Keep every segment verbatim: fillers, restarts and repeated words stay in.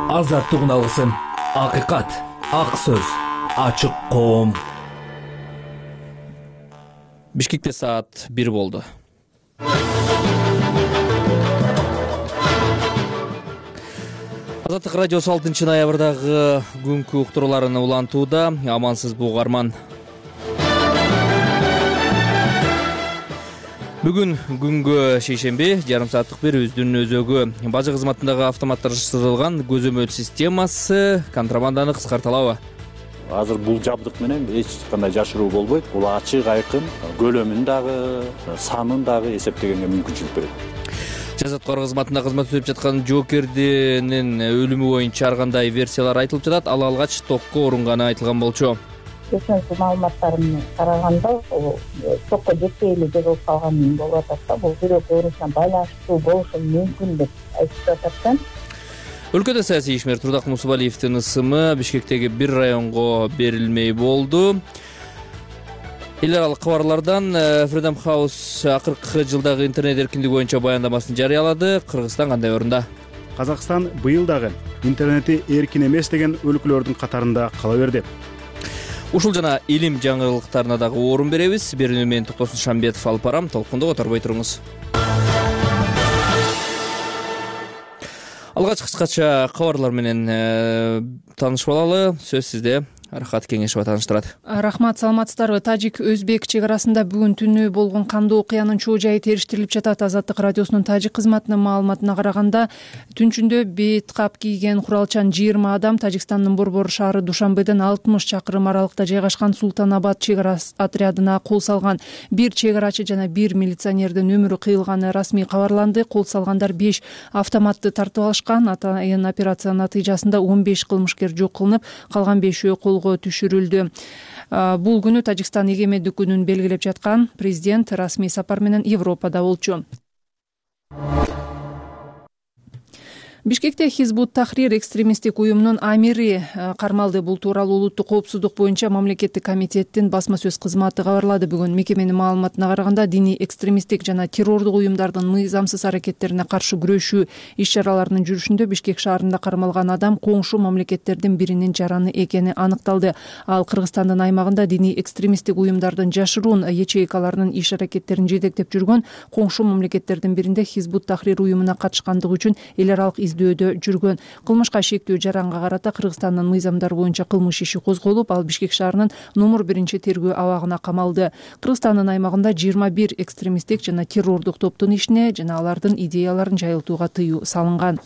Азаттык алгысым, акыйкат, ак сөз, ачык коом. Бишкекте саат бир болду. Азаттык радиосу алтынчы ноябрдагы күнкү уктурууларын улантууда. Амансызбы угарман. Бүгүн күнгө шейшемби жарым сааттык бир өздүн өзөгү. Бажы кызматындагы автоматташтырылган көзөмөл системасы контрабанданы кыскарталабы? Азыр бул жабдык менен эч кандай жашыруу болбойт. Бул ачык, айкын, көлөмүн дагы, санын дагы эсептегенге мүмкүнчүлүк берет. Жазаткар кызматында кызмат өтүп жаткан жоокердин өлүмү боюнча ар кандай версиялар айтылып жатат. Ал алгач токко урунганы айтылган болчу. Кечинки маалыматтарымды караганда, бул токко жетпей эле жогулуп калган болуп атат да. Бул жүрөк оорусуна байланыштуу болушу мүмкүн деп айтып атат. Өлкөдө саясий ишмер Турдак Мусубалиевдин ысымы Бишкектеги бир районго берилмей болду. Эл аралык кабарлардан Freedom House акыркы жылдагы интернет эркиндиги боюнча баяндамасын жарыялады. Кыргызстан кандай орунда? Казакстан быйыл дагы интернети эркин эмес деген өлкөлөрдүн катарында кала берди. Ушул жана илим жаңылыктарына дагы орун беребиз. Берүүнү мен Токтосун Шамбетов алып барам. Толкунду которбой туруңуз. Алгач кыскача кабарлар менен таанышып алалы. Сөз сизде. Рахат Кеңешова тааныштырат. Рахмат, саламатсыздарбы? Тажик-өзбек чек арасында бүгүн түнү болгон кандуу окуянын чоо жайы териштирилип жатат. Азаттык радиосунун тажик кызматынын маалыматына караганда, түнчүндө бет кап кийген куралчан жыйырма адам Тажикстандын Борбор шаары Душанбеден алтымыш чакырым аралыкта жайгашкан Султанабад чек ара отрядына кол салган. Бир чек арачы жана бир милиционердин өмүрү кыйылганы расмий кабарланды. Кол салгандар беш автоматты тартып алышкан. Атайын операциянын натыйжасында он беш кылмышкер жок кылынып, калган бешөө колго түшүрүлдү. Бул күнү Тажикстан эгемендик күнүн белгилеп жаткан. Президент расмий сапар менен Европада болчу. Бишкекте Хизбут Тахрир экстремисттик уюмунун амири кармалды. Бул тууралуу улуттук коопсуздук боюнча мамлекеттик комитеттин басма сөз кызматы кабарлады. Бүгүн мекеменин маалыматына караганда, диний экстремисттик жана террордук уюмдардын мыйзамсыз аракеттерине каршы күрөшүү иш-чараларынын жүрүшүндө Бишкек шаарында кармалган адам коңшу мамлекеттердин биринин жараны экени аныкталды. Ал Кыргызстандын аймагында диний экстремисттик уюмдардын жашыруун ячейкаларынын иш-аракеттерин жетектеп жүргөн коңшу мамлекеттердин биринде Хизбут Тахрир уюмуна катышкандыгы үчүн эл аралык издөөдө жүргөн. Кылмышка шектүү жаранга карата Кыргызстандын мыйзамдары боюнча кылмыш иши козголуп, ал Бишкек шаарынын номер биринчи тергөө абагына камалды. Кыргызстандын аймагында жыйырма бир экстремисттик жана террордук топтун ишине жана алардын идеяларын жайылтууга тыюу салынган.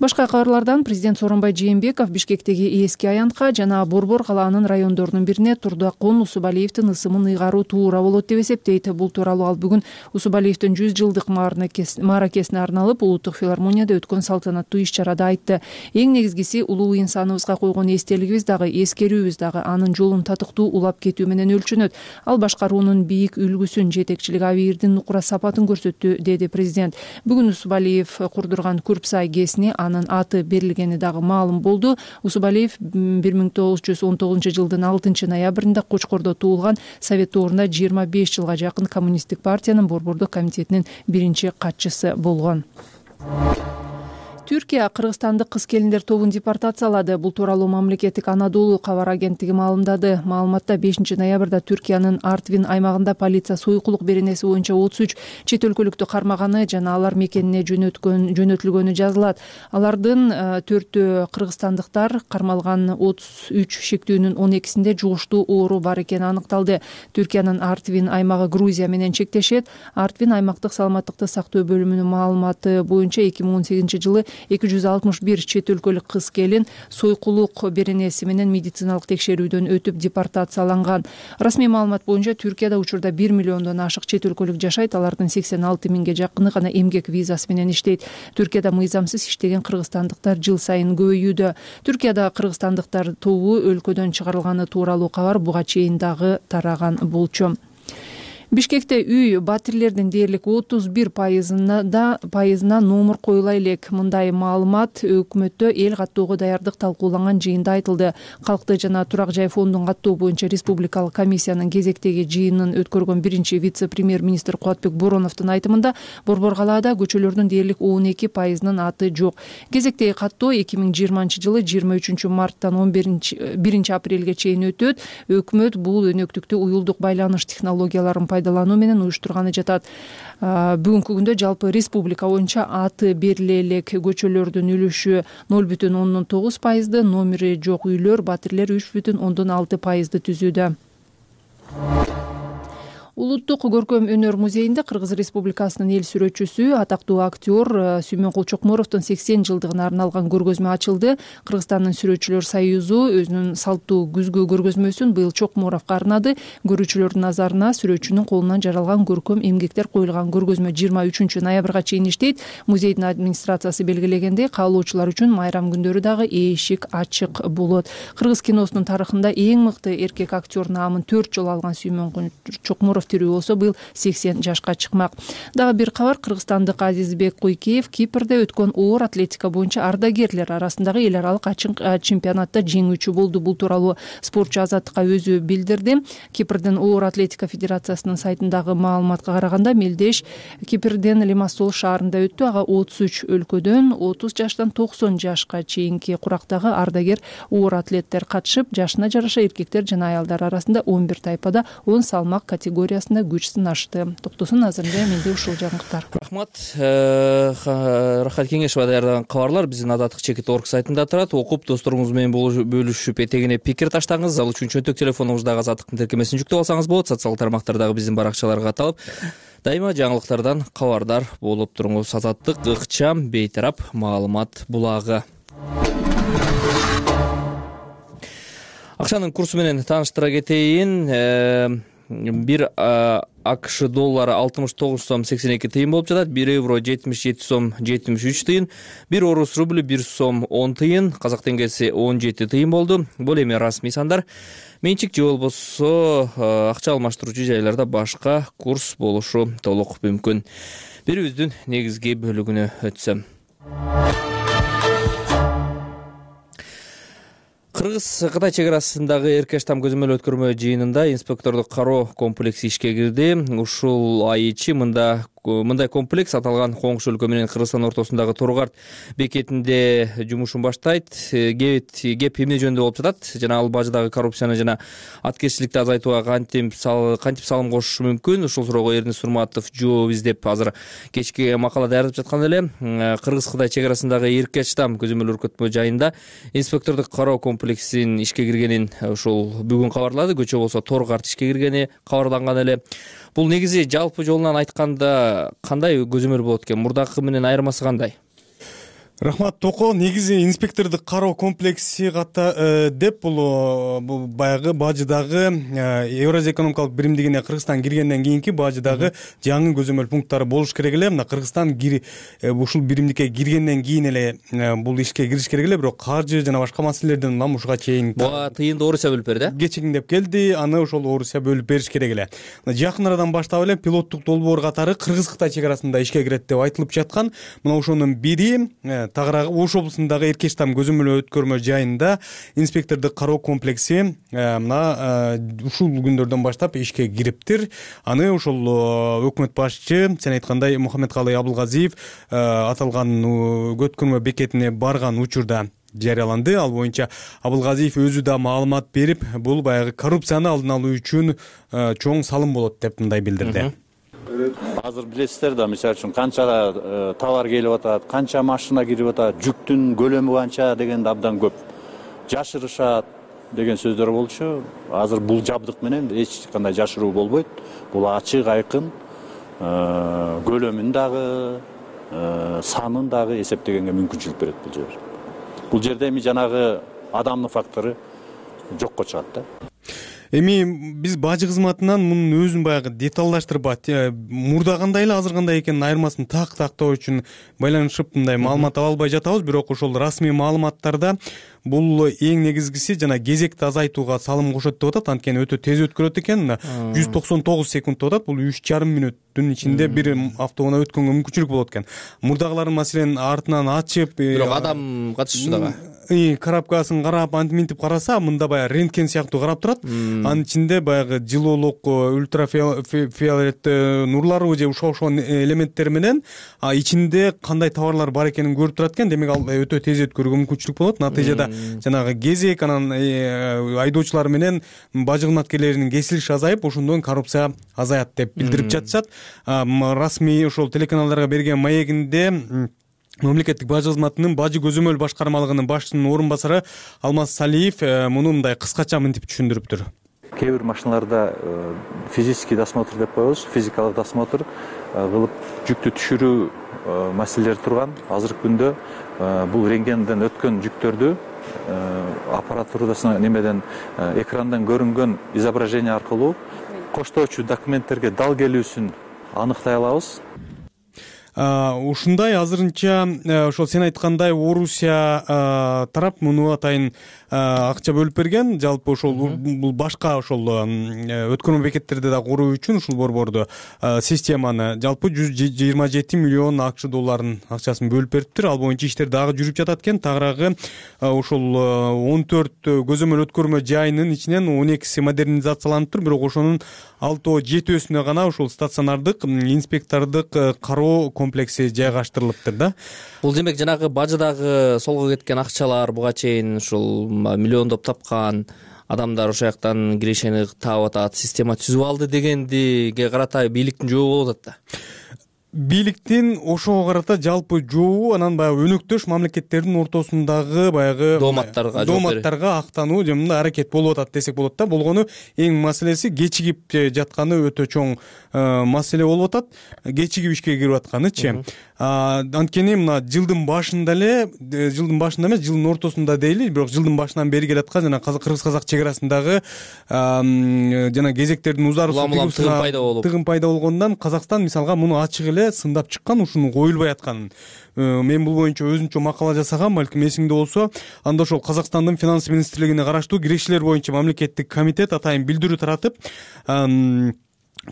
Башка кабарлардан президент Сооронбай Жээнбеков Бишкектеги эски аянтка жана Борбор калаанын райондорунун бирине Турдакун Усубалиевдин ысымын ыйгаруу туура болот деп эсептейт. Бул тууралуу ал бүгүн Усубалиевдин жүз жылдык мааракесине арналып улуттук филармонияда өткөн салтанаттуу иш-чарада айтты. Эң негизгиси улуу инсаныбызга койгон эстелигибиз дагы, эскерүүбүз дагы анын жолун татыктуу улап кетүү менен өлчөнөт. Ал башкаруунун бийик үлгүсүн, жетекчилик абийирдин нукура сапатын көрсөттү, деди президент. Бүгүн Усубалиев курдурган Күрпсай ГЭСине анын аты берилгени дагы маалым болду. Усубалиев бир миң тогуз жүз он тогузунчу жылдын алтынчы ноябрында Кочкордо туулган, Совет доорунда жыйырма беш жылга жакын Коммунисттик партиянын Борбордук комитетинин биринчи катчысы болгон. Түркия кыргызстандык кыз-келиндер тобун депортациялады. Бул тууралуу мамлекеттик Анадолу кабар агенттиги маалымдады. Маалыматта бешинчи ноябрда Түркиянын Артвин аймагында полиция сойкулук беренеси боюнча отуз үч чет өлкөлүктү кармаганы жана алар мекенине жөнөткөн жөнөтүлгөнү жазылат. Алардын төртөө кыргызстандыктар, кармалган отуз үч шектүүнүн он экисинде жугуштуу оору бар экени аныкталды. Түркиянын Артвин аймагы Грузия менен чектешет. Артвин аймактык саламаттыкты сактоо бөлүмүнүн маалыматы боюнча эки миң он сегизинчи жылы эки жүз алтымыш бир чет өлкөлүк кыз-келин сойкулук беренеси менен медициналык текшерүүдөн өтүп депортацияланган. Расмий маалымат боюнча Түркияда учурда бир миллиондон ашык чет өлкөлүк жашайт. Алардын сексен алты миңге жакыны гана эмгек визасы менен иштейт. Түркияда мыйзамсыз иштеген кыргызстандыктар жыл сайын көбөйүүдө. Түркияда кыргызстандыктар тобу өлкөдөн чыгарылганы тууралуу кабар буга чейин дагы тараган болчу. Бишкекте үй батирлердин дээрлик отуз бир пайызына пайызына номер коюла элек. Мындай маалымат өкмөттө эл каттоого даярдык талкууланган жыйында айтылды. Калкты жана турак жай фондун каттоо боюнча республикалык комиссиянын кезектеги жыйынын өткөргөн биринчи вице-премьер-министр Кубатбек Бороновдун айтымында Борбор калаада көчөлөрдүн дээрлик он эки пайызынын аты жок. Кезектеги каттоо эки миң жыйырманчы жылы жыйырма үчүнчү марттан он биринчи апрелге чейин өтөт. Өкмөт бул өнөктүктү уюлдук байланыш технологияларын пайдалануу менен уюштурганы жатат. Бүгүнкү күндө жалпы республика боюнча аты бериле элек көчөлөрдүн үлүшү ноль бүтүн ондон тогуз пайызды, номери жок үйлөр, батирлер үч бүтүн ондон алты пайызды түзүүдө. Улуттук көркөм өнөр музейинде Кыргыз Республикасынын эл сүрөтчүсү, атактуу актер Сүймөнкул Чокмуровдун сексен жылдыгына арналган көргөзмө ачылды. Кыргызстандын сүрөтчүлөр союзу өзүнүн салттуу күзгү көргөзмөсүн быйыл Чокмуровго арнады. Көрүүчүлөрдүн назарына сүрөтчүнүн колунан жаралган көркөм эмгектер коюлган көргөзмө жыйырма үчүнчү ноябрга чейин иштейт. Музейдин администрациясы белгилегендей, каалоочулар үчүн майрам күндөрү дагы эшик ачык болот. Кыргыз киносунун тарыхында эң мыкты эркек актер наамын төрт жолу алган Сүймөнкул Чокмуров тирүү болсо быйыл сексен жашка чыкмак. Дагы бир кабар: кыргызстандык Азизбек Куйкеев Кипрде өткөн оор атлетика боюнча ардагерлер арасындагы эл аралык ачык чемпионатта жеңүүчү болду. Бул тууралуу спортчу Азаттыкка өзү билдирди. Кипрдин оор атлетика федерациясынын сайтындагы маалыматка караганда, мелдеш Кипрден Лимассол шаарында өттү. Ага отуз үч өлкөдөн отуз жаштан токсон жашка чейинки курактагы ардагер оор атлеттер катышып, жашына жараша эркектер жана аялдар арасында он бир тайпада он салмак категория күч сынашты. Токтосун азырында менде ушул жаңылыктар. Рахмат. Рахат Кеңешова даярдаган кабарлар биздин Азаттык чекит орг сайтында турат. Окуп досторуңуз менен бөлүшүп, этегине пикир таштаңыз. Ал үчүн чөнтөк телефонуңуздагы Азаттыктын тиркемесин жүктөп алсаңыз болот. Социалдык тармактардагы биздин баракчаларга каталып, дайыма жаңылыктардан кабардар болуп туруңуз. Азаттык ыкчам, бейтарап маалымат булагы. Акчанын курсу менен тааныштыра кетейин. Бир АКШ доллары алтымыш тогуз сом сексен эки тыйын болуп жатат. Бир евро жетимиш жети сом жетимиш үч тыйын. Бир орус рубль бир сом он тыйын. Казак теңгеси он жети тыйын болду. Бул эми расмий сандар. Менчик же болбосо акча алмаштыруучу жайларда башка курс болушу толук мүмкүн. Бирибиздин негизги бөлүгүнө өтсөм. Кыргыз-Кытай чек арасындагы Эркештам көзөмөл өткөрмө жыйынында инспектордук кароо комплекси ишке кирди. Ушул ай ичи мында мындай комплекс аталган коңшу өлкө менен Кыргызстан ортосундагы Торгарт бекетинде жумушун баштайт. Кеп эмне жөнүндө болуп жатат жана ал бажыдагы коррупцияны жана аткезчиликти азайтууга кантип кантип салым кошушу мүмкүн? Ушул суроого Эрдин Сурматов жооп издеп азыр кечки макала даярдап жаткан эле. Кыргыз-Кытай чек арасындагы Эркештам көзөмөл өркөтмө жайында инспектордук кароо комплексин ишке киргенин ушул бүгүн кабарлады. Көчө болсо Торгарт ишке киргени кабарланган эле. Бул негизи жалпы жолунан айтканда кандай көзөмөл болот экен? Мурдакы менен айырмасы кандай? Рахмат Токо. Негизи инспектордук кароо комплекси ката деп бул баягы бажыдагы Евразия экономикалык биримдигине Кыргызстан киргенден кийинки бажыдагы жаңы көзөмөл пункттары болуш керек эле. Мына Кыргызстан ушул биримдикке киргенден кийин эле бул ишке кириш керек эле, бирок каржы жана башка маселелерден мамушка чейин буга тыйынды Орусия бөлүп берди. Кечигиндеп келди, аны ошол Орусия бөлүп бериш керек эле. Жакын арадан баштап эле пилоттук долбоор катары Кыргыз-Кытай чек арасында ишке кирет деп айтылып жаткан. Мына ошонун бири Тагыраагы Ош облусундагы Эркештам көзөмөл өткөрмө жайында инспектордук кароо комплекси мына ушул күндөрдөн баштап ишке кириптир. Аны ошол өкмөт башчы, сен айткандай, Мухаммедкалый Абылгазиев аталган өткөрмө бекетине барган учурда жарыяланды. Ал боюнча Абылгазиев өзү да маалымат берип, бул баягы коррупцияны алдын алуу үчүн чоң салым болот деп мындай билдирди. Азыр билесиздер да, мисалы үчүн канча товар келип атат, канча машина кирип атат, жүктүн көлөмү канча дегенди абдан көп жашырышат деген сөздөр болчу. Азыр бул жабдык менен эч кандай жашыруу болбойт. Бул ачык, айкын, көлөмүн дагы, санын дагы эсептегенге мүмкүнчүлүк берет бул жер. Бул жерде эми жанагы адамдын фактору жокко чыгат да. Эми биз бажы кызматынан мунун өзүн баягы деталдаштырбайт, мурда кандай эле азыр кандай экенин айырмасын так тактоо үчүн байланышып мындай маалымат ала албай жатабыз. Бирок ошол расмий маалыматтарда бул эң негизгиси жана кезекти азайтууга салым кошот деп атат. Анткени өтө тез өткөрөт экен. жүз токсон тогуз секунд деп атат. Бул үч жарым мүнөттүн ичинде бир автоунаа өткөнгө мүмкүнчүлүк болот экен. Мурдагыларын маселен артынан ачып, бирок адам катышчу дагы коробкасын карап антип минтип караса, мында баягы рентген сыяктуу карап турат. Анын ичинде баягы жылуулук, ультрафиолет нурлары же ошо ошо элементтер менен ичинде кандай товарлар бар экенин көрүп турат экен. Демек ал өтө тез өткөрүүгө мүмкүнчүлүк болот. Натыйжада жанагы кезек, анан айдоочулар менен бажы кызматкерлеринин кесилиши азайып, ошондон коррупция азаят деп билдирип жатышат. Расмий ошол телеканалдарга берген маегинде мамлекеттик бажы кызматынын бажы көзөмөл башкармалыгынын башчысынын орун басары Алмаз Салиев муну мындай кыскача мынтип түшүндүрүптүр. Кээ бир машиналарда физический досмотр деп коебуз, физикалык досмотр кылып жүктү түшүрүү маселелери турган. Азыркы күндө бул рентгенден өткөн жүктөрдү аппаратурасына немеден экрандан көрүнгөн изображение аркылуу коштоочу документтерге дал келүүсүн аныктай алабыз. Ушундай азырынча ошол сен айткандай Орусия тарап муну атайын акча бөлүп берген. Жалпы ошол бул башка ошол өткөрмө бекеттерди да куруу үчүн ушул борборду системаны жалпы жүз жыйырма жети миллион акч долларын акчасын бөлүп бериптир. Ал боюнча иштер дагы жүрүп жатат экен. Тагыраагы ошол он төрт көзөмөл өткөрмө жайынын ичинен он экиси модернизацияланып, бирок ошонун алтоо жетөөсүнө гана ошол стационардык инспектордук кароо комплекси жайгаштырылыптыр да. Бул демек жанагы бажыдагы солго кеткен акчалар буга чейин ушул миллиондоп тапкан адамдар ошол жактан кирешени таап атат, система түзүп алды дегендиге карата бийликтин жообу болуп атат да. Бийликтин ошого карата жалпы жообу анан баягы өнөктөш мамлекеттердин ортосундагы баягы дооматтарга дооматтарга актануу же мындай аракет болуп атат десек болот да. Болгону эң маселеси кечигип жатканы өтө чоң маселе болуп атат. Кечигип ишке кирип атканычы. Анткени мына жылдын башында эле, жылдын башында эмес, жылдын ортосунда дейли, бирок жылдын башынан бери келаткан жана кыргыз-казак чек арасындагы жана кезектердин узарысы тыгын пайда болгондон Казакстан мисалга муну ачык эле сындап чыккан, ушуну коюлбай атканын. Мен бул боюнча өзүнчө макала жасагам, балким эсиңде болсо, анда ошол Казакстандын финанс министрлигине караштуу кирешилер боюнча мамлекеттик комитет атайын билдирүү таратып,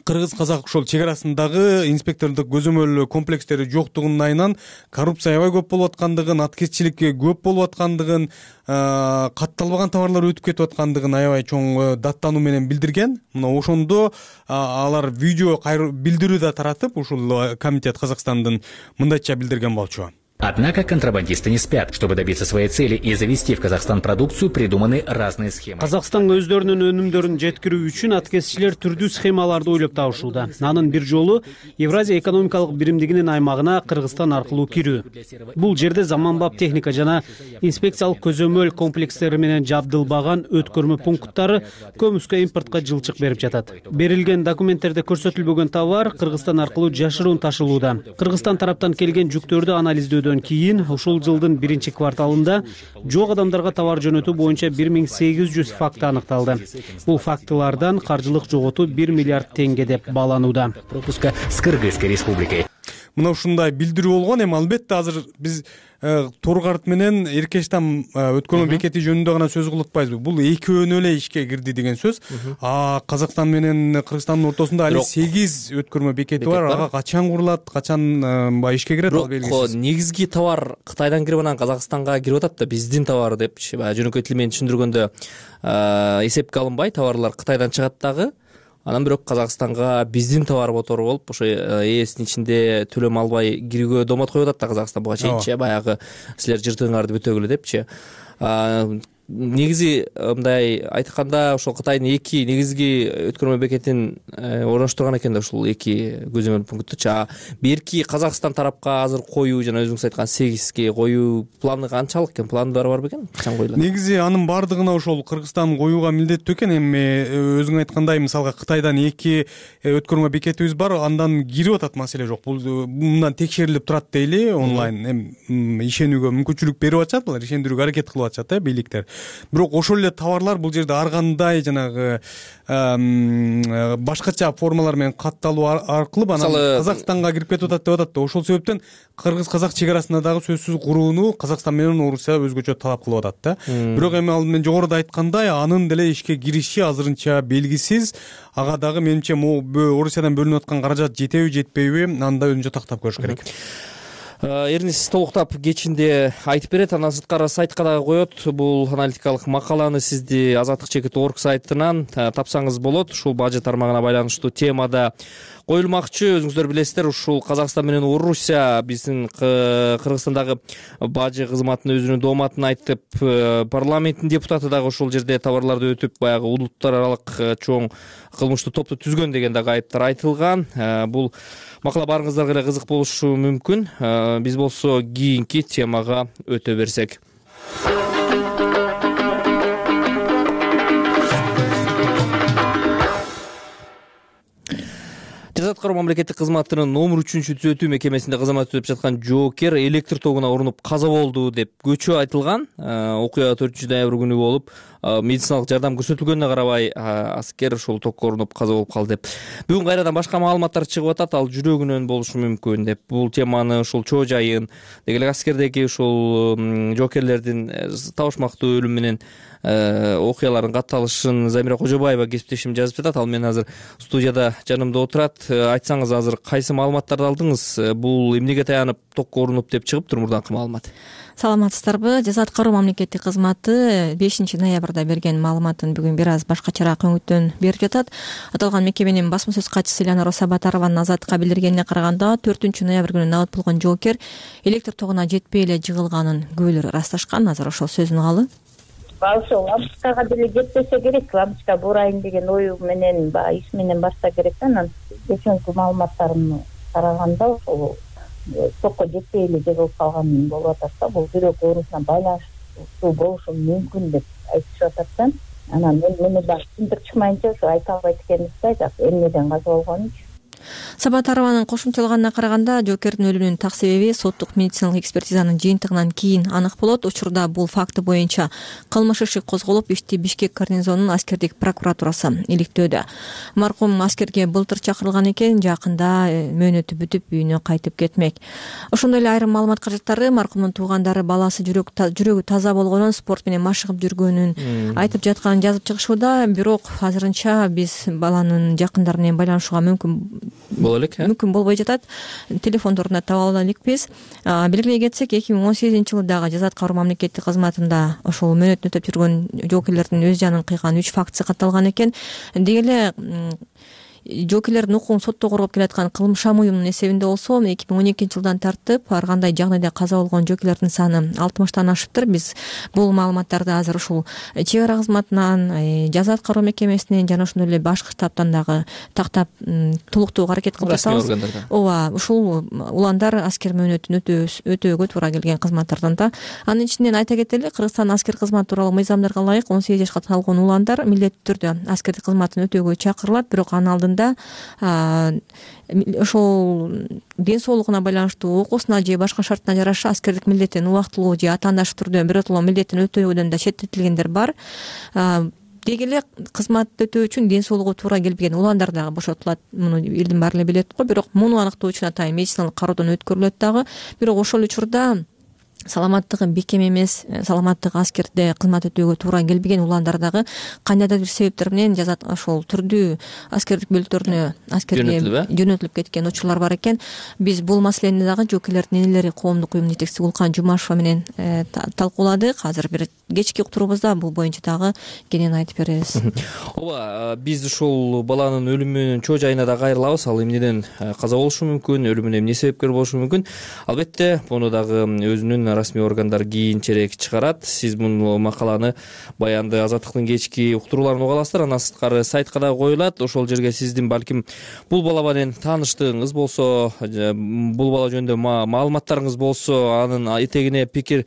кыргыз-казак ошол чек арасындагы инспектордук көзөмөл комплекстери жоктугунун айынан коррупция аябай көп болуп аткандыгын, аткезчилик көп болуп аткандыгын, катталбаган товарлар өтүп кетип аткандыгын аябай чоң даттануу менен билдирген. Мына ошондо алар видео билдирүү да таратып, ушул комитет Казакстандын мындайча билдирген болчу. Однако контрабандисты не спят. Чтобы добиться своей цели и завести в Казахстан продукцию, придуманы разные схемы. Казакстанга өздөрүнүн өнүмдөрүн жеткирүү үчүн аткезчилер түрдүү схемаларды ойлоп табышууда. Анын бир жолу Евразия экономикалык биримдигинин аймагына Кыргызстан аркылуу кирүү. Бул жерде заманбап техника жана инспекциялык көзөмөл комплекстери менен жабдылбаган өткөрмө пункттары көмүскө импортко жылчык берип жатат. Берилген документтерде көрсөтүлбөгөн товар Кыргызстан аркылуу жашыруун ташылууда. Кыргызстан тараптан келген жүктөрдү анализдөө кийин ушул жылдын биринчи кварталында жок адамдарга товар жөнөтүү боюнча бир миң сегиз жүз факты аныкталды. Бул фактылардан каржылык жоготуу бир миллиард теңге деп бааланууда. Пропуска с Кыргызской республикой. Мына ушундай билдирүү болгон. Эми албетте азыр биз Торгарт менен Эркештам өткөрмө бекети жөнүндө гана сөз кылып атпайбызбы? Бул экөөнү эле ишке кирди деген сөз. А Казакстан менен Кыргызстандын ортосунда али сегиз өткөрмө бекети бар. Ага качан курулат, качан баягы ишке кирет, ал белгисиз. Негизги товар Кытайдан кирип анан Казакстанга кирип атат да, биздин товар депчи. Баягы жөнөкөй тил менен түшүндүргөндө эсепке алынбай товарлар Кытайдан чыгат дагы. Анан бирок Казакстанга биздин товар мотору болуп, ошо ээсинин ичинде төлөм албай кирүүгө доомат коюп атат да Казакстан буга чейинчи. Баягы силер жыртыгыңарды бүтөгүлө депчи. Негизи мындай айтканда ошол Кытайдын эки негизги өткөрмө бекетин орноштурган экен да ушул эки көзөмөл пункттучу. Берки Казакстан тарапка азыр коюу жана өзүңүз айткан сегизге коюу планы канчалык экен? План бар бар бекен? Качан коюлат? Негизи анын бардыгына ошол Кыргызстан коюуга милдеттүү экен. Эми өзүң айткандай, мисалга Кытайдан эки өткөрмө бекетибиз бар, андан кирип атат, маселе жок. Бул мындан текшерилип турат дейли онлайн. Эми ишенүүгө мүмкүнчүлүк берип атышат, алар ишендирүүгө аракет кылып атышат да бийликтер. бирок ошол эле товарлар бул жерде ар кандай жанагы башкача формалар менен катталуу аркылуу анан Казакстанга кирип кетип атат деп атат да. Ошол себептен кыргыз-казак чек арасында дагы сөзсүз курууну Казакстан менен Орусия өзгөчө талап кылып атат да. Бирок эми ал мен жогоруда айткандай анын деле ишке кириши азырынча белгисиз. Ага дагы менимче могу Орусиядан бөлүнүп аткан каражат жетеби жетпейби, аны да өзүнчө тактап көрүш керек. Эрнис толуктап кечинде айтып берет, андан сырткары сайтка дагы коет. Бул аналитикалык макаланы сизди азаттык чекит точка орг сайтынан тапсаңыз болот. Ушул бажы тармагына байланыштуу темада коюлмакчы. Өзүңүздөр билесиздер, ушул Казакстан менен Орусия биздин Кыргызстандагы бажы кызматынын өзүнүн дооматын айтып, парламенттин депутаты дагы ошол жерде товарларды өтүп, баягы улуттар аралык чоң кылмыштуу топту түзгөн деген дагы айыптар айтылган. Бул макала баарыңыздарга эле кызык болушу мүмкүн. Биз болсо кийинки темага өтө берсек. Жаза аткаруу мамлекеттик кызматынын номер үчүнчү түзөтүү мекемесинде кызмат өтүп жаткан жоокер электр тогуна урунуп каза болду деп көчө айтылган. Окуя төртүнчү ноябрь күнү болуп, медициналык жардам көрсөтүлгөнүнө карабай аскер ошол токко урунуп каза болуп калды деп. Бүгүн кайрадан башка маалыматтар чыгып атат, ал жүрөгүнөн болушу мүмкүн деп. Бул теманы ушул чоо жайын, деги эле аскердеги ушул жоокерлердин табышмактуу өлүм менен окуялардын катталышын Замира Кожобаева кесиптешим жазып жатат. Ал менен азыр студияда жанымда отурат. Айтсаңыз, азыр кайсы маалыматтарды алдыңыз? Бул эмнеге таянып токко урунуп деп чыгыптыр мурдаңкы маалымат? Саламатсыздарбы? Жаза аткаруу мамлекеттик кызматы бешинчи ноябрда берген маалыматын бүгүн бир аз башкачараак өңүттөн берип жатат. Аталган мекеменин басма сөз катчысы Элянара Сабатарованын Азаттыкка билдиргенине караганда, төртүнчү ноябрь күнү набыт болгон жоокер электр тогуна жетпей эле жыгылганын күбөлөр ырасташкан. Азыр ошол сөзүн угалы. Ошо лампочкага деле жетпесе керек, лампочка бурайын деген ою менен, баягы иш менен барса керек да. Анан кечинки маалыматтарымды караганда ошол токко жетпей эле жыгылып калган болуп атат да. Бул жүрөк оорусуна байланыштуу болушу мүмкүн деп айтышып атат да. Анан мен мени да түшүндүрүп чыкмайынча ошо айта албайт экенбиз да, жак эмнеден каза болгонун. Сабатарованын кошумчалаганына караганда, жоокердин өлүмүнүн так себеби соттук медициналык экспертизанын жыйынтыгынан кийин анык болот. Учурда бул факты боюнча кылмыш иши козголуп, ишти Бишкек гарнизонунун аскердик прокуратурасы иликтөөдө. Маркум аскерге былтыр чакырылган экен, жакында мөөнөтү бүтүп үйүнө кайтып кетмек. Ошондой эле айрым маалымат каражаттары маркумдун туугандары баласы жүрөгү таза болгонун, спорт менен машыгып жүргөнүн айтып жатканын жазып чыгышууда. Бирок азырынча биз баланын жакындары менен байланышууга мүмкүн боло элек, мүмкүн болбой жатат. Телефондорунда таба ала элекпиз. Белгилей кетсек, эки миң он сегизинчи жылы дагы жаза аткаруу мамлекеттик кызматында ошол мөөнөтүн өтөп жүргөн жоокерлердин өз жанын кыйган үч фактысы катталган экен. Деги эле жоокерлердин укугун сотто коргоп келаткан кылмышам уюмунун эсебинде болсо, эки миң он экинчи жылдан тартып ар кандай жагдайда каза болгон жоокерлердин саны алтымыштан ашыптыр. Биз бул маалыматтарды азыр ушул чек ара кызматынан, жаза аткаруу мекемесинен жана ошондой эле башкы штабтан дагы тактап толуктоого аракет кылып жатабыз. Ооба, ушул уландар аскер мөөнөтүн өтөөгө туура келген кызматтардан да. Анын ичинен айта кетели, Кыргызстан аскер кызматы тууралуу мыйзамдарга ылайык он сегиз жашка толгон уландар милдеттүү түрдө аскердик кызматын өтөөгө чакырылат. Бирок анын алдында ошол ден соолугуна байланыштуу окуусуна же башка шартына жараша аскердик милдеттен убактылуу же атаандаш түрдө биротоло милдеттин өтөөгөдөн да четтетилгендер бар. Деги эле кызмат өтөө үчүн ден соолугу туура келбеген уландар дагы бошотулат. Муну элдин баары эле билет го. Бирок муну аныктоо үчүн атайын медициналык кароодон өткөрүлөт дагы. Бирок ошол учурда саламаттыгы бекем эмес, саламаттыгы аскерде кызмат өтөөгө туура келбеген уландар дагы кандайдыр бир себептер менен жазат ошол түрдүү аскердик бөлүктөрүнө аскерге жөнөтүлүп кеткен учурлар бар экен. Биз бул маселени дагы жоокерлердин энелери коомдук уюмунун жетекчиси Улкан Жумашева менен талкууладык. Азыр бир кечки уктуруубузда бул боюнча дагы кенен айтып беребиз. Ооба, биз ушул баланын өлүмүнүн чоо жайына да кайрылабыз. Ал эмнеден каза болушу мүмкүн, өлүмүнө эмне себепкер болушу мүмкүн? Албетте, муну дагы өзүнүн расмий органдар кийинчерээк чыгарат. Сиз бул макаланы, баянды Азаттыктын кечки уктурууларын уга аласыздар. Андан сырткары сайтка да коюлат. Ошол жерге сиздин балким бул бала менен тааныштыгыңыз болсо, бул бала жөнүндө маалыматтарыңыз болсо, анын этегине пикир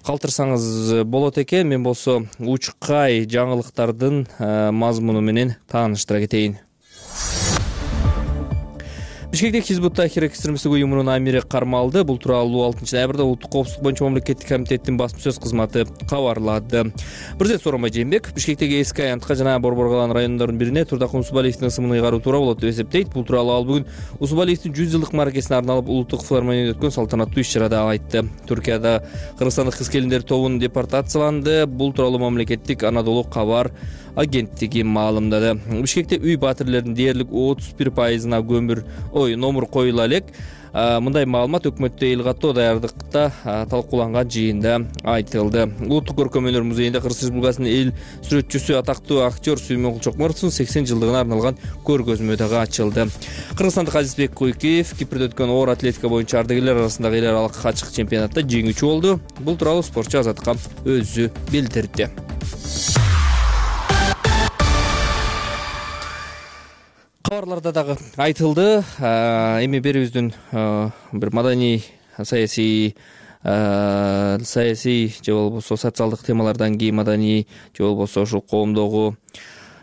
калтырсаңыз болот экен. Мен болсо учкай жаңылыктардын мазмуну менен тааныштыра кетейин. Бишкектеги Хизбут Тахрир экстремисттик уюмунун амири кармалды. Бул тууралуу алтынчы ноябрда улуттук коопсуздук боюнча мамлекеттик комитеттин басма сөз кызматы кабарлады. Президент Сооронбай Жээнбеков Бишкектеги эски Аянтка жана Борбор Калан райондорунун бирине Турдакмын Усубалиевдин ысымын ыйгаруу туура болот деп эсептейт. Бул тууралуу ал бүгүн Усубалиевдин жүз жылдык мааракесине арналып улуттук филармонияда өткөн салтанаттуу иш-чарада айтты. Түркияда кыргызстандык кыз-келиндер тобун депортацияланды. Бул тууралуу мамлекеттик Анадолу кабар агенттиги маалымдады. Бишкекте үй батирлеринин дээрлик отуз бир пайызына көмүр ой номур коюла элек. Мындай маалымат өкмөттө эл каттоо даярдыкта талкууланган жыйында айтылды. Улуттук көркөм өнөр музейинде Кыргыз Республикасынын эл сүрөтчүсү атактуу актер Сүймөнкул Чокморовдун сексен жылдыгына арналган көргөзмө дагы ачылды. Кыргызстандык Азизбек Куйкиев Кипрде өткөн оор атлетика боюнча ардагерлер арасындагы эл аралык ачык чемпионатта жеңүүчү болду. Бул тууралуу спортчу Азаттыкка өзү билдирди. Кабарларда дагы айтылды. Эми берибиздин бир маданий саясий саясий же болбосо социалдык темалардан кийин маданий же болбосо ушул коомдогу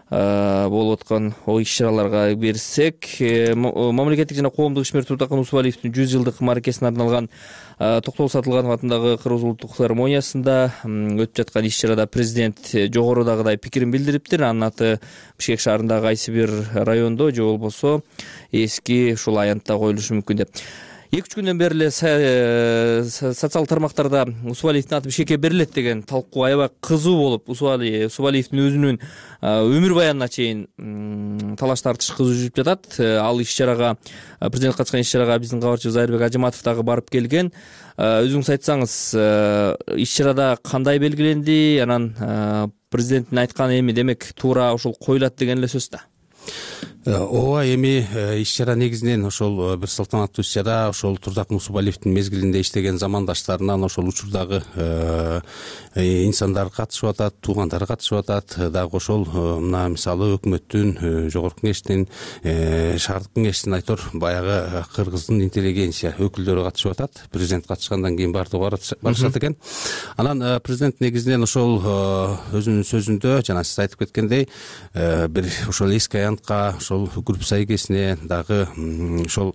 болуп аткан иш-чараларга берсек, мамлекеттик жана коомдук ишмер Турдакмын Усубалиевдин жүз жылдык мааракесине арналган Токтогул Сатылганов атындагы Кыргыз улуттук филармониясында өтүп жаткан иш-чарада президент жогорудагыдай пикирин билдириптир. Анын аты Бишкек шаарындагы кайсы бир райондо же болбосо эски ушул Аянтта коюлушу мүмкүн деп. эки-үч күндөн бери эле социалдык тармактарда Усубалиевдин аты Бишкекке берилет деген талкуу аябай кызуу болуп, Усубалиевдин өзүнүн өмүр баянына чейин талаш тартыш кызуу жүрүп жатат. Ал иш-чарага, президент катышкан иш-чарага биздин кабарчыбыз Айырбек Ажыматов дагы барып келген. Өзүңүз айтсаңыз, иш-чарада кандай белгиленди? Анан президенттин айтканы эми демек туура ошол коюлат деген эле сөз да. Ооба, эми иш-чара негизинен ошол бир салтанаттуу иш-чара ошол Турдакмын Усубалиевдин мезгилинде иштеген замандаштарынан ошол учурдагы инсандар катышып атат, туугандары катышып атат. Дагы ошол мына мисалы өкмөттүн, жогорку кеңештин, шаардык кеңештин айтор баягы кыргыздын интеллигенция өкүлдөрү катышып атат. Президент катышкандан кийин бардыгы барышат экен. Анан президент негизинен ошол өзүнүн сөзүндө жана сиз айтып кеткендей бир ошол эски Аянтка Күрүп Сайгесине дагы ошол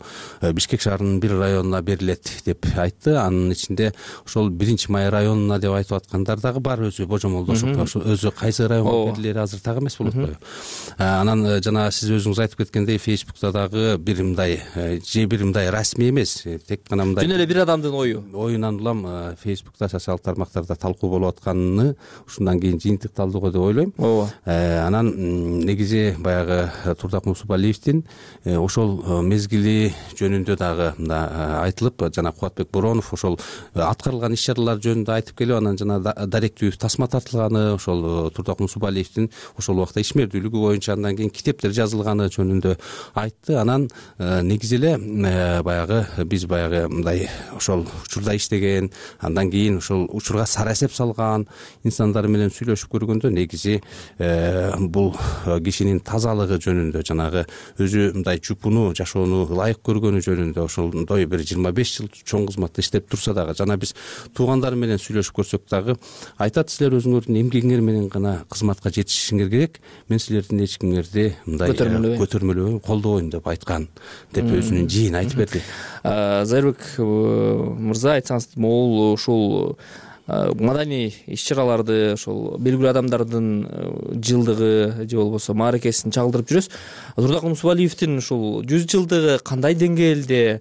Бишкек шаарынын бир районуна берилет деп айтты. Анын ичинде ошол биринчи май районуна деп айтып аткандар дагы бар, өзү божомолдошуп, ошол өзү кайсы районго берилери азыр так эмес болот коюу. Анан жана сиз өзүңүз айтып кеткендей Фейсбукта дагы бир мындай же бир мындай расмий эмес, тек гана мындай жөн эле бир адамдын ою оюнан улам Фейсбукта, социалдык тармактарда талкуу болуп атканын ушундан кийин жыйынтыкталды деп ойлойм. Ооба. Анан негизи баягы Турдакмын Усубалиевдин ошол мезгили жөнүндө дагы айтылып, жана Кубатбек Боронов ошол аткарылган иш-чаралар жөнүндө айтып келип, анан жана даректүү тасма тартылганы, ошол Турдакмын Усубалиевдин ошол убакта ишмердүүлүгү боюнча андан кийин китептер жазылганы жөнүндө айтты. Анан негизи эле баягы биз баягы мындай ошол учурда иштеген, андан кийин ошол учурга сара эсеп салган инсандар менен сүйлөшүп көргөндө негизи бул кишинин тазалыгы жөнүндө, жанагы өзү мындай чупуну жашоону ылайык көргөнү жөнүндө ошондой бир жыйырма беш жыл чоң кызматта иштеп турса дагы, жана биз туугандары менен сүйлөшүп көрсөк дагы айтат, силер өзүңөрдүн эмгегиңер менен гана кызматка жетишишиңер керек, мен силердин эч кимиңерди мындай көтөрмөлөбөйм, колдобойм деп айткан деп өзүнүн жийин айтып берди. Зайырбек мырза, айтсаңыз, могул ушул маданий иш-чараларды ошол белгилүү адамдардын жылдыгы же болбосо мааракесин чагылдырып жүрөсүз. Турдакмын Усубалиевдин ушул жүз жылдыгы кандай деңгээлде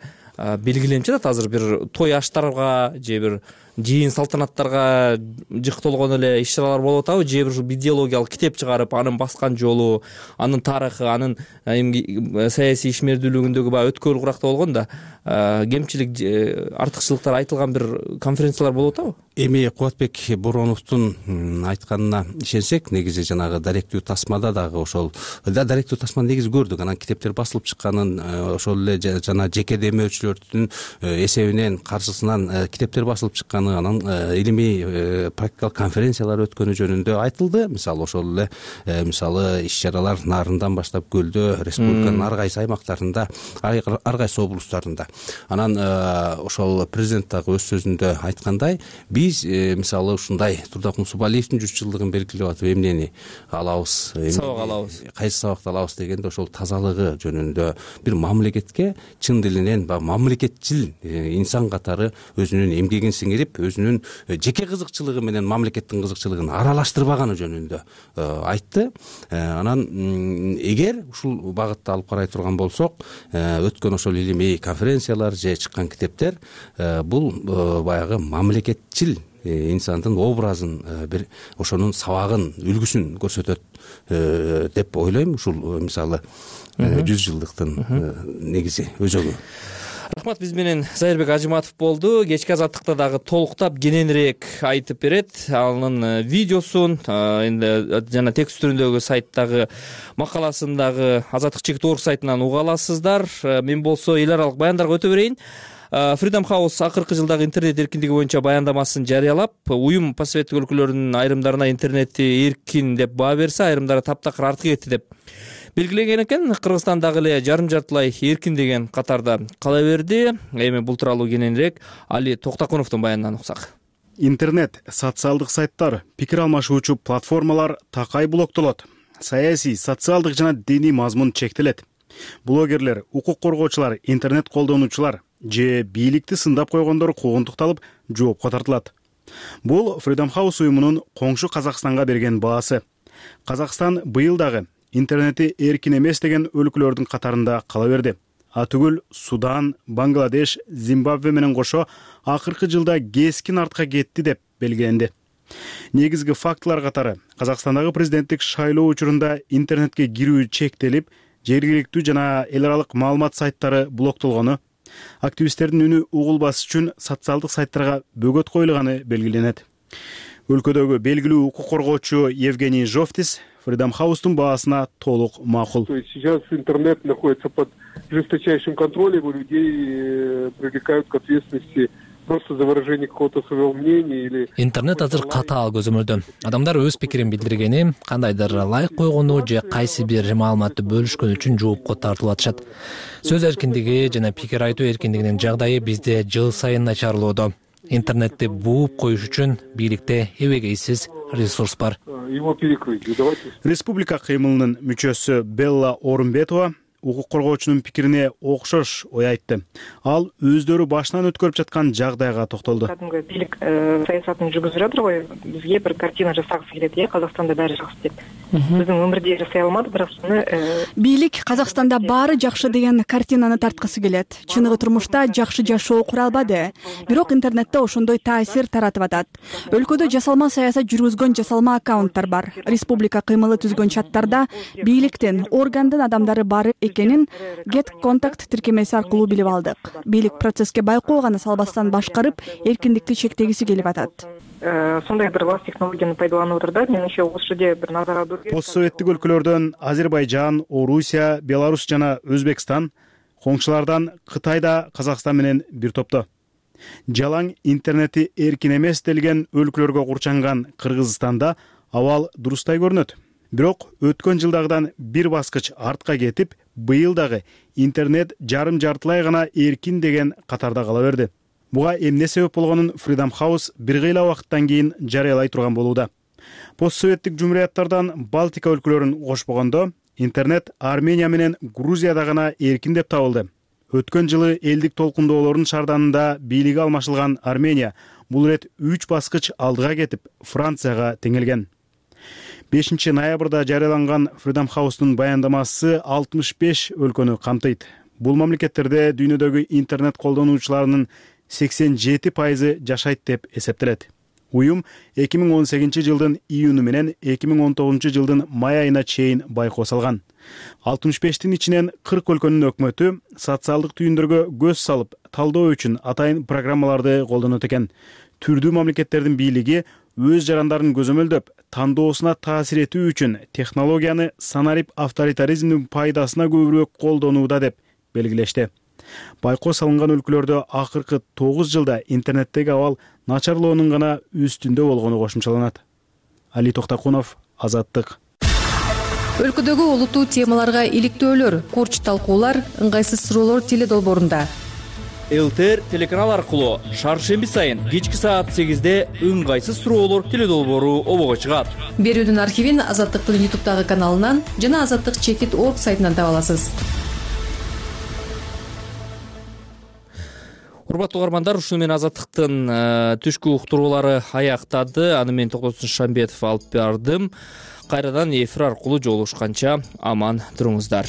белгиленип жатат? Азыр бир той аштарга же бир жыйын салтанаттарга жыктолгон эле иш-чаралар болуп атабы, же бир ушу идеологиялык китеп чыгарып, анын баскан жолу, анын тарыхы, анын саясий ишмердүүлүгүндөгү баягы өткөл куракта болгон да кемчилик, артыкчылыктар айтылган бир конференциялар болуп атабы? Эми Кубатбек Бороновдун айтканына ишенсек, негизи жанагы даректүү тасмада дагы ошол даректүү тасманы негизи көрдүк. Анан китептер басылып чыкканын, ошол эле жана жеке демөөчүлөрдүн эсебинен, каршысынан китептер басылып чыкканын чыгышканы, анан илимий практикалык конференциялар өткөнү жөнүндө айтылды. Мисалы ошол эле мисалы иш чаралар Нарындан баштап Көлдө, республиканын ар кайсы аймактарында, ар кайсы облустарында. Анан ошол президент дагы өз сөзүндө айткандай, биз мисалы ушундай Турдак Мусубалиевдин жүз жылдыгын белгилеп атып эмнени алабыз, сабак алабыз, кайсы сабакты алабыз дегенде ошол тазалыгы жөнүндө бир мамлекетке чын дилинен баягы мамлекетчил инсан катары өзүнүн эмгегин сиңирип, өзүнүн жеке кызыкчылыгы менен мамлекеттин кызыкчылыгын аралаштырбаганы жөнүндө айтты. Анан эгер ушул багытта алып карай турган болсок, өткөн ошол илимий конференциялар же чыккан китептер бул баягы мамлекетчил инсандын образын, бир ошонун сабагын, үлгүсүн көрсөтөт деп ойлойм. Ушул мисалы жүз жылдыктын негизи өзөгү. Рахмат, биз менен Зайырбек Ажыматов болду. Кечки азаттыкта дагы толуктап кененирээк айтып берет. Анын видеосун эми жана текст түрүндөгү сайттагы макаласын Азаттык чекит орг сайтынан уга аласыздар. Мен болсо эл аралык баяндарга өтө берейин. Freedom House акыркы жылдагы интернет эркиндиги боюнча баяндамасын жарыялап, уюм постсоветтик өлкөлөрдүн айрымдарына интернетти эркин деп баа берсе, айрымдары таптакыр артка кетти деп белгиленген экен. Кыргызстан дагы эле жарым жартылай эркин деген катарда кала берди. Эми бул тууралуу кененирээк Али Токтокуновдун баянынан уксак. Интернет, социалдык сайттар, пикир алмашуучу платформалар такай блоктолот. Саясий, социалдык жана диний мазмун чектелет. Блогерлер, укук коргоочулар, интернет колдонуучулар же бийликти сындап койгондор куугунтукталып, жоопко тартылат. Бул Freedom House уюмунун коңшу Казакстанга берген баасы. Казакстан быйыл дагы интернети эркин эмес деген өлкөлөрдүн катарында кала берди. Атүгүл Судан, Бангладеш, Зимбабве менен кошо акыркы жылда кескин артка кетти деп белгиленди. Негизги фактылар катары Казакстандагы президенттик шайлоо учурунда интернетке кирүү чектелип, жергиликтүү жана эл аралык маалымат сайттары блоктолгону, активисттердин үнү угулбас үчүн социалдык сайттарга бөгөт коюлганы белгиленет. Өлкөдөгү белгилүү укук коргоочу Евгений Жовтис Freedom House'тун баасына толук макул. То есть сейчас интернет находится под жесточайшим контролем, и людей привлекают к ответственности просто за выражение какого-то своего мнения или... Интернет азыр катаал көзөмөлдө. Адамдар өз пикирин билдиргени, кандайдыр лайк койгону же кайсы бир маалыматты бөлүшкөн үчүн жоопко тартылып атышат. Сөз эркиндиги жана пикир айтуу эркиндигинин жагдайы бизде жыл сайын начарлоодо. Интернетти бууп коюш үчүн бийликте эбегейсиз ресурс бар. Его перекрыть. Республика кыймылынын мүчөсү Белла Орунбетова укук коргоочунун пикирине окшош ой айтты. Ал өздөрү башынан өткөрүп жаткан жагдайга токтолду. Кадимги бийлик саясатын жүргүзүп жатыр го, бизге бир картина жасагысы келет, э, Казакстанда баары жакшы деп. Биздин өмүрдө жасай алмады, бирок аны бийлик Казакстанда баары жакшы деген картинаны тарткысы келет. Чыныгы турмушта жакшы жашоо кура албады, бирок интернетте ошондой таасир таратып атат. Өлкөдө жасалма саясат жүргүзгөн жасалма аккаунттар бар. Республика кыймылы түзгөн чаттарда бийликтин, органдын адамдары бар экенин Get Contact тиркемеси аркылуу билип алдык. Бийлик процесске байкоо гана салбастан башкарып, эркиндикти чектегиси келип атат. Сондай бир лас технологияны пайдаланып отур да, менимче ошол жерде бир назар алдыруу керек. Постсоветтик өлкөлөрдөн Азербайжан, Орусия, Беларусь жана Өзбекстан, коңшулардан Кытай да Казакстан менен бир топто. Жалаң интернети эркин эмес делген өлкөлөргө курчанган Кыргызстанда абал дурустай көрүнөт. Бирок өткөн жылдагыдан бир баскыч артка кетип, быйыл дагы интернет жарым жартылай гана эркин деген катарда кала берди. Буга эмне себеп болгонун Freedom House бир кыйла убакыттан кийин жарыялай турган болууда. Постсоветтик жумурияттардан Балтика өлкөлөрүн кошпогондо, интернет Армения менен Грузияда гана эркин деп табылды. Өткөн жылы элдик толкундоолордун шарданында бийлиги алмашылган Армения бул ирет үч баскыч алдыга кетип, Францияга теңелген. бешинчи ноябрда жарыяланган Freedom House'тун баяндамасы алтымыш беш өлкөнү камтыйт. Бул мамлекеттерде дүйнөдөгү интернет колдонуучуларынын сексен жети пайызы жашайт деп эсептелет. Уюм эки миң он сегизинчи жылдын июнү менен эки миң он тогузунчу жылдын май айына чейин байкоо салган. алтымыш бештин ичинен кырк өлкөнүн өкмөтү социалдык түйүндөргө көз салып, талдоо үчүн атайын программаларды колдонот экен. Түрдүү мамлекеттердин бийлиги өз жарандарын көзөмөлдөп, тандоосуна таасир этүү үчүн технологияны санарип авторитаризмдин пайдасына көбүрөөк колдонууда деп белгилешти. байкоо салынган өлкөлөрдө акыркы тогуз жылда интернеттеги абал начарлоонун гана үстүндө болгону кошумчаланат. Али Токтакунов, Азаттык. Өлкөдөгү олуттуу темаларга иликтөөлөр, курч талкуулар, ыңгайсыз суроолор теле долбоорунда. ЛТР телеканал аркылуу шаршемби сайын кечки саат сегизде ыңгайсыз суроолор теле долбоору обого чыгат. Берүүнүн архивин Азаттыктын ютубтагы каналынан жана азаттык чекит точка орг сайтынан таба аласыз. Урматтуу угармандар, ушуну менен Азаттыктын түшкү уктуруулары аяктады. Аны мен Токтосун Шамбетов алып бардым. Кайрадан эфир аркылуу жолугушканча аман туруңуздар.